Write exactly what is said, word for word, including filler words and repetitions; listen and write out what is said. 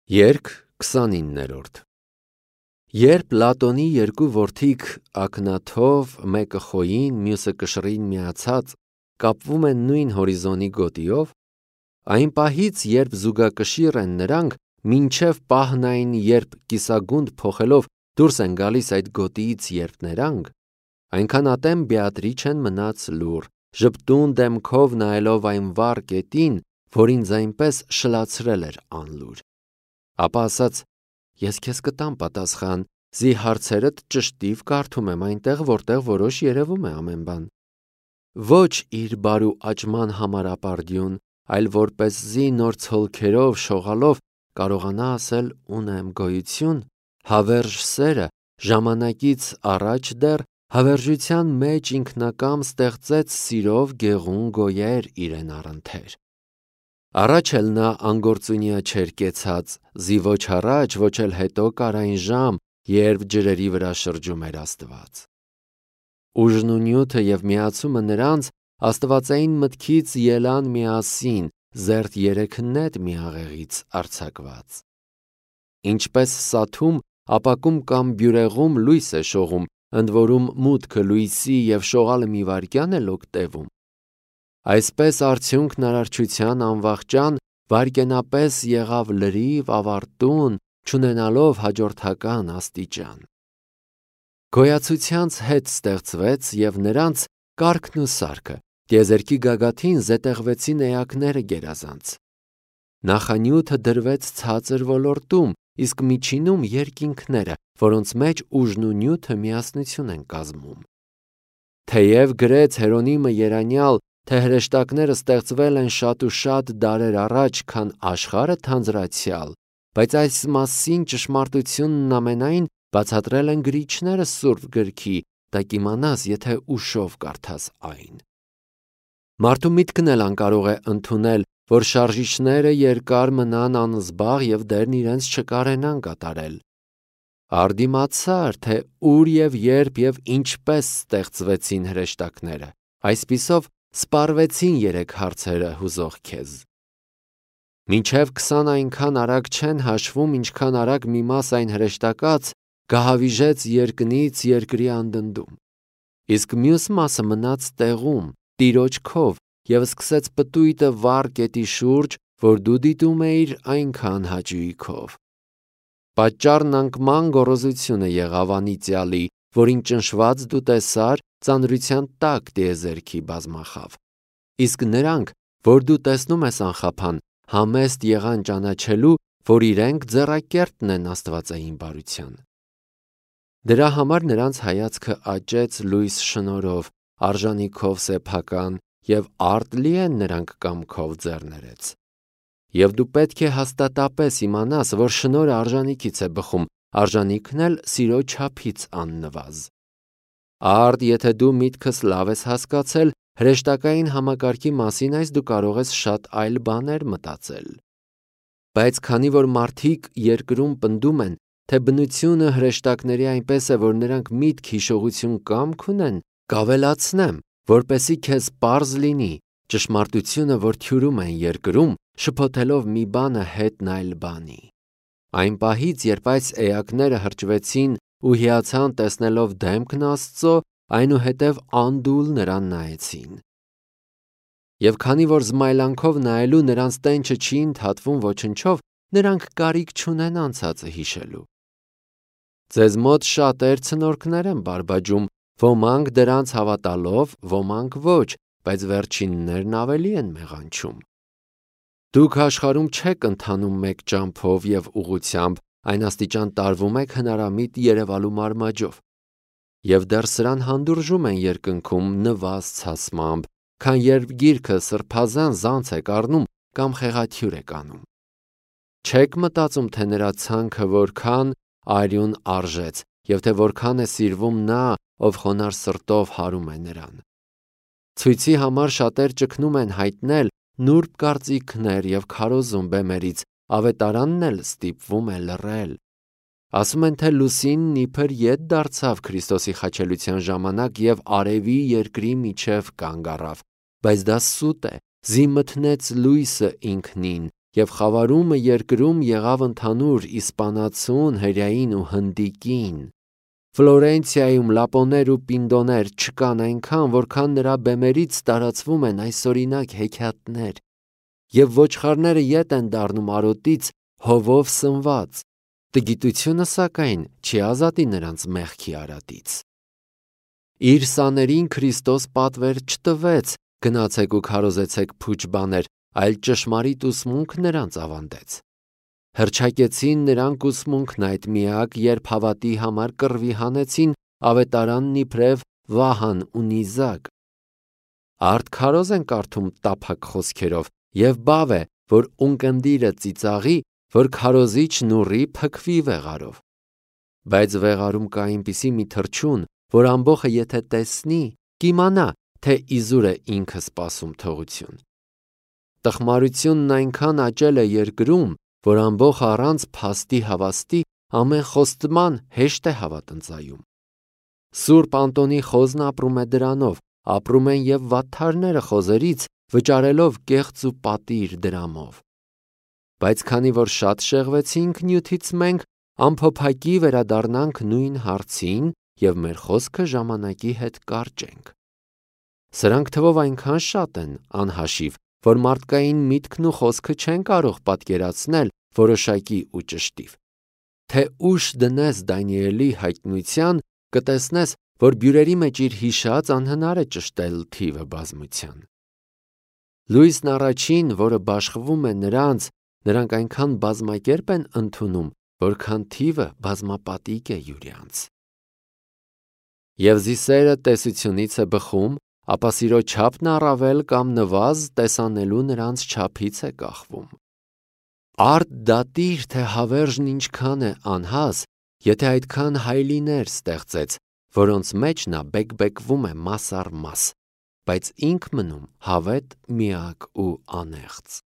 Երգ քսանիններորդ Երբ Լատոնի երկու որդիկ ակնաթով, մեկը խոյին, մյուսը կշռին միացած, կապվում են նույն հորիզոնի գոտիով, այն պահից, երբ զուգակշիռ են նրանք, մինչև պահն այն, երբ կիսագունդ փոխելով դուրս են գալիս այդ գոտիից երթներանգ, այնքան ատեմ Բեատրիչեն մնաց լուռ, ժպտուն դեմքով նայելով այն վառ կետին, որ ինձ այնպես շլացրել էր անլուր։ Ապա ասաց. ես քեզ կտամ պատասխան, զի հարցերդ ճշտիվ կարդում եմ այնտեղ, որտեղ որոշ երևում է ամեն բան։ Ոչ իր բարու աճման համար ապարդյուն, այլ որպեսզի նոր ցոլքերով շողալով կարողանա ասել ունեմ գոյություն, հավերժ սերը ժամանակից առաջ դեռ հավերժության մեջ ինքնակամ ստեղծեց սիրով գեղուն գոյեր իրեն առընթեր։ Առաջ էլ նա անգործունյա չէր կեցած, զի ոչ առաջ, ոչ էլ հետո կար այն ժամ, երբ ջրերի վրա շրջում էր Աստված։ Ուժն ու նյութը և միացումը նրանց աստվածային մտքից ելան միասին, զերծ երեք նետ մի աղեղից արձակված։ Ինչպես սաթում, ապակում կամ բյուրեղում լույս է շողում, ընդ որում մուտքը լույսի և շողալը մի վայրկյան էլ օգտևում, այսպես արդյունքն արարչության անվախճան վայրկենապես եղավ լրիվ ավարտուն, չունենալով հաջորդական աստիճան։ Գոյացությանց հետ ստեղծվեց և նրանց կարգն ու սարքը, տիեզերքի գագաթին զետեղվեցին էակները գերազանց։ Նախանյութը դրվեց ցածր ոլորտում, իսկ միջինում երկինքները, որոնց մեջ ուժն ու նյութը միասնություն են կազմում։ Թեև գրեց Հերոնիմը երանյալ, թե հրեշտակները ստեղծվել են շատ ու շատ դարեր առաջ, քան աշխարհը թանձրացյալ, բայց այս մասին ճշմարտությունն ամենայն բացատրել են գրիչները Սուրբ Գրքի, դա կիմանաս, եթե ուշով կարդաս այն։ Մարդու միտքն էլ անկարող է ընդունել, որ շարժիչները երկար մնան անզբաղ և դերն իրենց չկարենան կատարել։ Արդիմացար, թե ուր և երբ և ինչպես ստեղծվեցին հրեշտակները, այսպիսով սպառվեցին երեք հարցերը հուզող քեզ։ Մինչև քսան այնքան արագ չեն հաշվում, ինչքան արագ մի մաս այն հրեշտակած գահավիժեց երկնից երկրի անդնդում, իսկ մյուս մասը մնաց տեղում, տիրոջ քով և սկսեց պտույտը վառ կետի շուրջ, որ դու դիտում էիր այնքան հաճույքով։ Պատճառն անկման գոռոզությունը եղավ անիծյալի, որին ճնշված դու տեսար ծանրության տակ տիեզերքի բազմախավ, իսկ նրանք, որ դու տեսնում ես անխափան, համեստ եղան ճանաչելու, որ իրենք ձեռակերտն են աստվածային բարության։ Դրա համար նրանց հայացքը աճեց լույս շնորհով, արժանիքով սեփական, և արտլի են նրանք կամքով ձեռներեց։ Եվ դու պետք է հաստատապես իմանաս, որ շնորհը արժանիքից է բխում, արժանիքն էլ սիրո չափից աննվազ։ Արդ, եթե դու միտքս լավ ես հասկացել, հրեշտակային համակարգի մասին այս դու կարող ես շատ այլ բաներ մտածել։ Բայց քանի որ մարդիկ երկրում պնդում են, թե բնությունը հրեշտակների այնպես է, որ նրանք միտք, հիշողություն, կամք ունեն, կավելացնեմ, որպեսզի քեզ պարզ լինի, ճշմարտությունը, որ թյուրում են երկրում, շփոթելով մի բանը հետն այլ բանի։ Այն պահից, երբ այս էակները հրճվեցին ու հիացան տեսնելով դեմքն Աստծո, այնուհետև անդուլ նրան նայեցին։ Եվ քանի որ զմայլանքով նայելու նրանց տենչը չի ընդհատվում ոչնչով, նրանք կարիք չունեն անցածը հիշելու։ Ձեզ մոտ շատեր ցնորքներ են բարբաջում, ոմանք դրանց հավատալով, ոմանք ոչ, բայց վերջիններն ավելի են մեղանչում։ Դուք աշխարհում չեք ընթանում մեկ ճամփով և ուղղությամբ, այն աստիճան տարվում եք հնարամիտ երևալու մարմաջով, և դեռ սրան հանդուրժում են երկնքում նվազ ցասմամբ, քան երբ գիրքը սրբազան զանց եք առնում կամ խեղաթյուրեք անում։ Չեք մտածում, թե նրա ցանքը որքան արյուն արժեց, և թե որքան է սիրվում նա, ով խոնարհ սրտով հարում է նրան։ Ցույցի համար շատեր ճգնում են հայտնել նուրբ կարծիքներ և քարոզում բեմերից, ավետարանն էլ ստիպվում է լռել։ Ասում են, թե լուսինն իբր ետ դարձավ Քրիստոսի խաչելության ժամանակ և արևի երկրի միջև կանգ առավ, բայց դա սուտ է, զի մթնեց լույսը ինքնին, և խավարումը երկրում եղավ ընդհանուր իսպանացուն, հրեային ու հնդիկին։ Ֆլորենցիայում լապոներ ու պինդոներ չկան այնքան, որքան նրա բեմերից տարածվում են այսօրինակ հեքիաթներ, և ոչխարները ետ են դառնում արոտից հովով սնված։ Տգիտությունը, սակայն, չի ազատի նրանց մեղքի արատից։ Իր սաներին Քրիստոս պատվեր չտվեց. «Գնացեք ու քարոզեցեք փուչ բաներ», այլ ճշմարիտ ուսմունք նրանց ավանդեց։ Հռչակեցին նրանք ուսմունքն այդ միակ, երբ հավատի համար կռվի հանեցին ավետարանն իբրև Վահան ու Նիզակ։ Արդ քարոզ են կարդում տափակ խոսքերով, և բավ է, որ ունկնդիրը ծիծաղի, որ քարոզիչն ուռի փքվի վեղարով։ Բայց վեղարում կա այնպիսի մի թռչուն, որ ամբոխը եթե տեսնի, կիմանա, թե իզուր է ինքը սպասում թողություն։ Տխմարությունն այնքան աճել է երկրում, որ ամբոխը առանց փաստի հավաստի ամեն խոստման հեշտ է հավատնծայում։ Սուրբ Անտոնի խոզն ապրում է դրանով, ապրում են և վատթարները խոզերից, վճարելով կեղծ ու պատիր դրամով։ Բայց քանի որ շատ շեղվեցինք նյութից մենք, ամփոփակի վերադառնանք նույն հարցին և մեր խոսքը ժամանակի հետ կարճենք։ Սրանք թվով այնքան շատ են, անհաշիվ, որ մարդկային միտքն ու խոսքը չեն կարող պատկերացնել որոշակի ու ճշտիվ։ Թե ուշ դնես Դանիելի հայտնության, կտեսնես, որ բյուրերի մեջ իր հիշած անհնար է ճշտել թիվը բազմության։ Լույսն առաջին, որը բաշխվում է նրանց, նրանք այնքան բազմակերպ են ընդունում, որքան թիվը բազմապատիկ է յուրյանց։ Եվ զիսերը տեսությունից է բխում, ապա սիրո չափն առավել կամ նվազ տեսանելու նրանց չափից է կախվում։ Արդ դատիր, թե հավերժն ինչքան է անհաս, եթե այդքան հայլիներ ստեղծեց, որոնց մեջ նա բեկբեկվում է մաս առ մաս, բայց ինք մնում հավետ, միակ ու անեղծ։